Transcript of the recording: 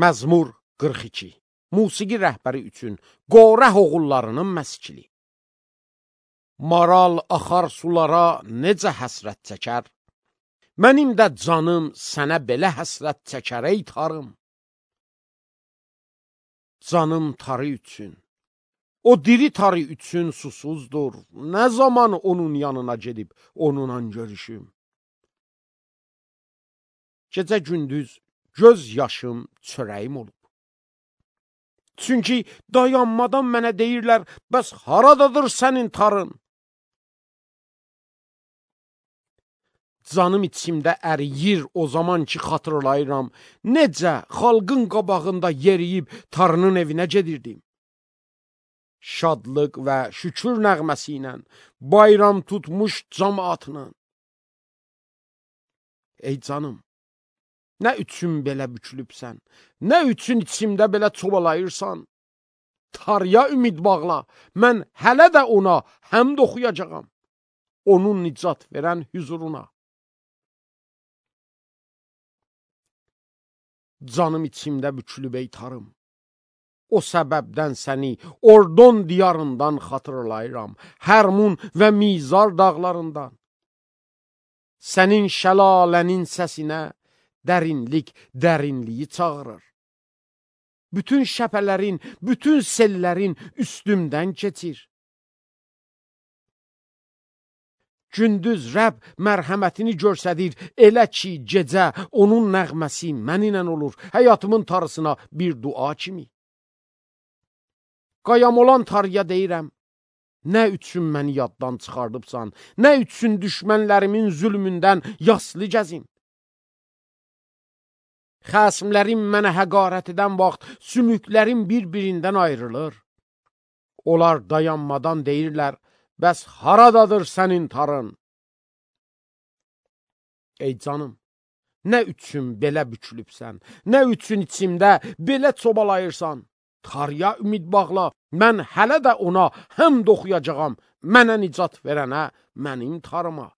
Məzmur 42. Musiqi rəhbəri üçün Qorəh oğullarının məskili. Maral axar sulara necə həsrət çəkər? Mənim də canım sənə belə həsrət çəkər ey tarım. Canım tarı üçün, o diri tarı üçün susuzdur. Nə zaman onun yanına gedib onunla görüşüm? Gecə gündüz göz yaşım çörəyim olub. Çünki dayanmadan mənə deyirlər, bəs haradadır sənin tarın? Canım içimdə əriyir o zaman ki xatırlayıram, necə xalqın qabağında yeriyib tarının evinə gedirdim. Şadlıq və şükür nəğməsi ilə, bayram tutmuş cəmaatla. Ey canım, nə üçün belə bükülübsən, nə üçün içimdə belə çobalayırsan? Tarya ümid bağla, mən hələ də ona həmd oxuyacağam, onun nicat verən hüzuruna. Canım içimdə bükülüb ey tarım, o səbəbdən səni Ordon diyarından xatırlayıram, Hərmun və Mizar dağlarından. Sənin şəlalənin səsinə dərinlik dərinliyi çağırır. Bütün şəpələrin, bütün sellərin üstümdən keçir. Gündüz Rəbb mərhəmətini göstərir, elə ki gecə onun nəğməsi mənimlə olur, həyatımın tarısına bir dua kimi. Qayam olan tarıya deyirəm, nə üçün məni yaddan çıxardıbsan, nə üçün düşmənlərimin zülmündən yaslı gəzim? Xəsimlərim mənə həqarət edən vaxt sümüklərim bir-birindən ayrılır. Onlar dayanmadan deyirlər, bəs haradadır sənin tarın? Ey canım, nə üçün belə bükülübsən, nə üçün içimdə belə çobalayırsan? Tarya ümid bağla, mən hələ də ona həmd oxuyacağam, mənə nicat verənə, mənim tarıma.